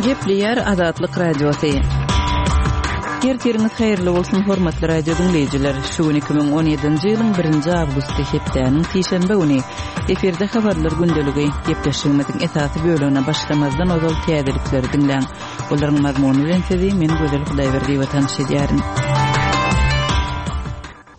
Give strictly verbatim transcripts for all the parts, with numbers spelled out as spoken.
Gepleýär Azatlyk Radiosy. Ertiriňiz haýyrly bolsun, hormatly radio diňleýjiler. Şu gün iki müň on ýedinji ýylyň birinji awgusty, hepdäniň sişenbe güni. Efirde habarlar gündeligi. Gepleşigimiziň esasy bölegine başlamazdan ozal täzelikleri diňläň. Olaryň mazmuny bilen sizi men Gözel Hudaýberdiýewa tanyş edýärin.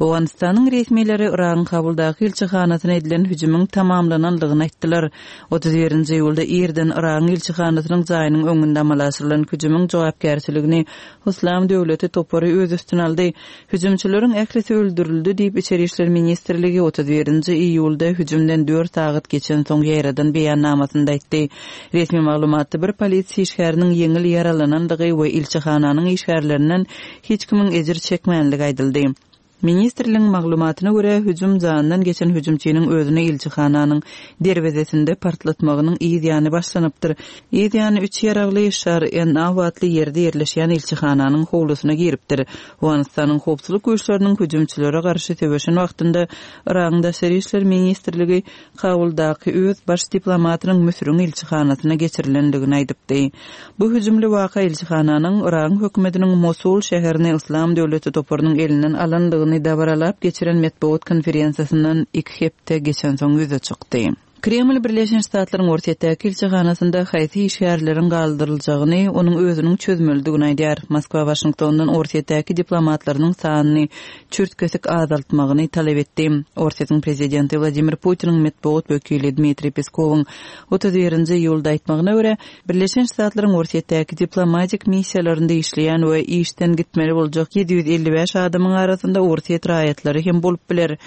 Owganystanyň resmileri Yragyň Kabuldaky ilçihanasyna edilen hüjümiň tamamlanandygyny aýtdylar. Otuz birinji iýulda irden Yragyň ilçihanasynyň jaýynyň öňünde amala aşyrylan hüjümiň jogapkärçiligini Yslam döwleti topary öz üstüne aldy. Hüjümçileriň ählisi öldürildi diýip, Içeri işler ministrligi otuz birinji iýulda hüjümden dört sagat geçensoň ýaýradan beýannamasynda aýtdy. Resmi maglumatda bir polisiýa işgäriniň ýeňil ýaralanandygy we ilçihananyň işgärlerinden hiç kimiň ejir çekmänligi aýdyldy. Ministrligiň maglumatyna görä, hüjüm jandan geçen hüjümçiniň özüni ilçihananyň derwezesinde partlatmagynyň yz ýany başlanypdyr. Yz ýany üç ýaragly Şar N A atly ýerde ýerleşýän ilçihananyň howlusyna giripdir. Owganystanyň howpsuzlyk güýçleriniň hüjümçilere garşy söweşen wagtynda Yragyň Daşary işler ministrligi Kabuldaky öz baş diplomatynyň Müsüriň ilçihanasyna geçirilendigini aýdypdy. Bu hüjümli waka ilçihananyň Yragyň hökümetiniň Mosul şäherini Yslam döwleti toparynyň elinden alandygyny dabaralap geçiren metbugat konferensiýasyndan iki hepde geçensoň ýüze çykdy. Kreml Birleşen Ştatlaryň Orsýetdäki ilçihanasynda haýsy işgärleriň galdyryljagyny onuň özüniň çözmelidigini aýdýar. Moskwa Waşingtondan Orsýetdäki diplomatlarynyň sanyny çürt-kesik azaltmagyny talap etdi. Orsýetiň prezidenti Wladimir Putiniň metbugat wekili Dmitriý Peskowyň otuz birinji iýulda aýtmagyna görä, Birleşen Ştatlaryň Orsýetdäki diplomatik missiýalarynda işleýän we işden gitmeli boljak ýedi ýüz elli bäş adamyň arasynda Orsýet raýatlary hem bolup biler.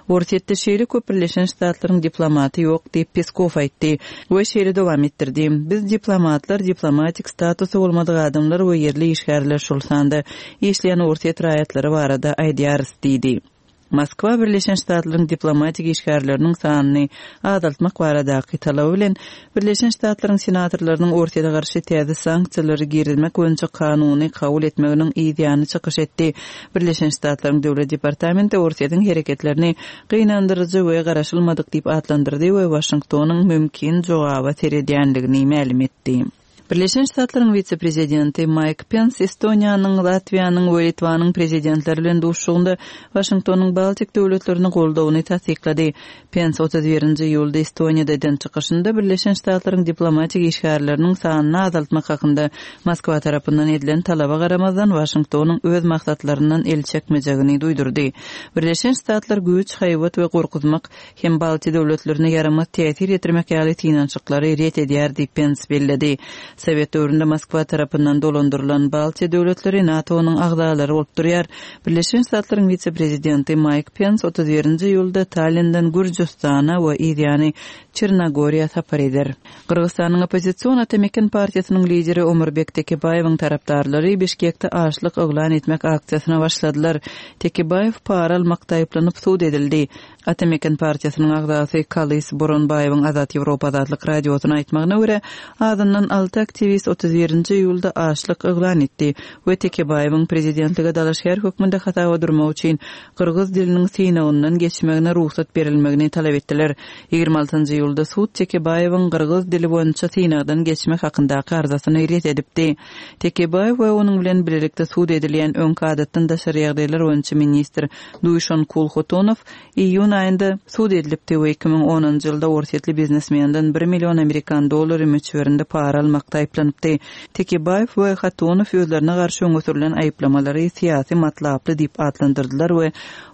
Orsýetde şeýle köp Birleşen Ştatlaryň diplomaty ýok diýip Peskow aýtdy we şeýle dowam etdirdi. Biz diplomatlar, diplomatik statusy bolmadyk adamlar we ýerli işgärler, şol sanda işleýän Orsýet raýatlary barada aýdýarys diýdi. Moskwa Birleşen Ştatlaryň diplomatik işgärleriniň sanyny azaltmak baradaky talaby bilen Birleşen Ştatlaryň senatorlarynyň Orsýete garşy täze sanksiýalary girizmek boýunça kanuny kabul etmeginiň yz ýany çykyş etdi. Birleşen Ştatlaryň Döwlet departamenti Orsýetiň hereketlerini gynandyryjy we garaşylmadyk diýip atlandyrdy we Waşingtonyň mümkin jogaba seredýändigini mälim etdi. Birleşen Ştatlaryň wise-prezidenti Maýk Pens Estoniýanyň, Latwiýanyň we Litwanyň prezidentleri bilen duşuşygynda Waşingtonyň Baltik döwletlerini goldawyny tassyklady. Pens otuz birinji iýulda Estoniýada eden çykyşynda Birleşen Ştatlaryň diplomatik işgärleriniň sanyny azaltmak hakynda Moskwa tarapyndan edilen talaba garamazdan Waşingtonyň öz maksatlaryndan el çekmejegini duýdurdy. Birleşen Ştatlar güýç, haýbat we gorkuzmak hem Baltik döwletlerine ýaramaz täsir ýetirmek ýaly synanyşyklary ret edýär diýip Pens belledi. Sowet döwründe Moskwa tarapyndan dolandyrylan Baltiýa döwletleri NATO-nyň agzalary bolup durýar. Birleşen Ştatlaryň wise-prezidenti Maýk Pens otuz birinji iýulda Tallinden Gürjüstana we yzýany Çernogoriýa sapar eder. Gyrgyzystanyň oppozision Atameken partiýasynyň lideri Omurbek Tekebaýewiň tarapdarlary Bişkekde açlyk yglan etmek aksiýasyna başladylar. Tekebaýew para almakda aýyplanyp sud edildi. Atameken partiýasynyň agzasy Kalys Boronbaýewiň Azat Ýewropa Azatlyk radiosyna aýtmagyna görä, azyndan alty aktiwist otuz birinji iýulda açlyk yglan etdi we Tekebaýewiň prezidentlige dalaşgär hökmünde hasaba durmak üçin gyrgyz diliniň synagyndan geçmegine rugsat berilmegini talap etdiler. Ýigrimi altynjy iýulda sud Tekebaýewiň gyrgyz dili boýunça synagdan geçmek hakyndaky arzasyny ret edipdi. Tekebaýew we onuň bilen birlikde sud edilýän öňki adatdan daşary ýagdaýlar boýunça ministr Duýşan Kulhotonow iýun aýynda sud edilipdi we iki müň onunjy ýylda orsýetli biznesmenden bir million amerikan dollary möçberinde para almakda aýyplanypdy. Tekebaýew we Hatonow özlerine garşy öňe sürülen aýyplamalary syýasy matlaply diýip atlandyrdylar we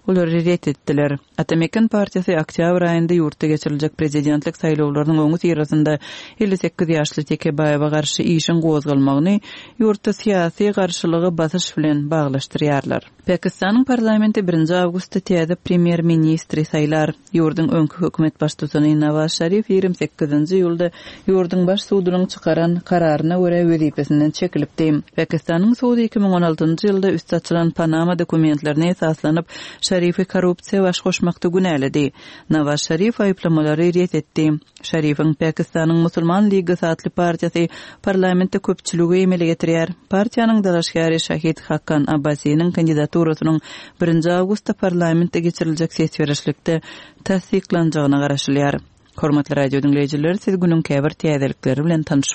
olary ret etdiler. Atameken partiýasy oktýabr aýynda ýurtda geçiriljek prezidentlik saýlawlarynyň öňi syrasynda elli sekiz ýaşly Tekebaýewe garşy işiň gozgalmagyny ýurtda syýasy garşylygy basyş bilen baglaşdyrýarlar. Pakistanyň parlamenti birinji awgustda täze premýer-ministri saýlar. Ýurduň öňki hökümet baştutany Nawaz Şarif ýigrimi sekizinji iýulda ýurduň baş sudunyň çykaran kararyna görä wezipesinden çekilipdi. Pakistanyň sudy iki müň on altynjy ýylda üst açylan Panama dokumentlerine esaslanyp Şarifi korrupsiýa baş goşmakda günäledi. Nawaz Şarif aýyplamalary ret etdi. Şarifiň Pakistanyň Musulman Ligasy atly partiýasy parlamentde köpçüligi emele getirýär. Partiýanyň dalaşgäri Şahid Hakan Abbasiniň kandidaturasynyň birinji awgustda parlamentde geçiriljek ses berişlikde tassyklanjagyna garaşylýar. Hormatly radio diňleýjiler, siz günüň käbir täzelikleri bilen tanyş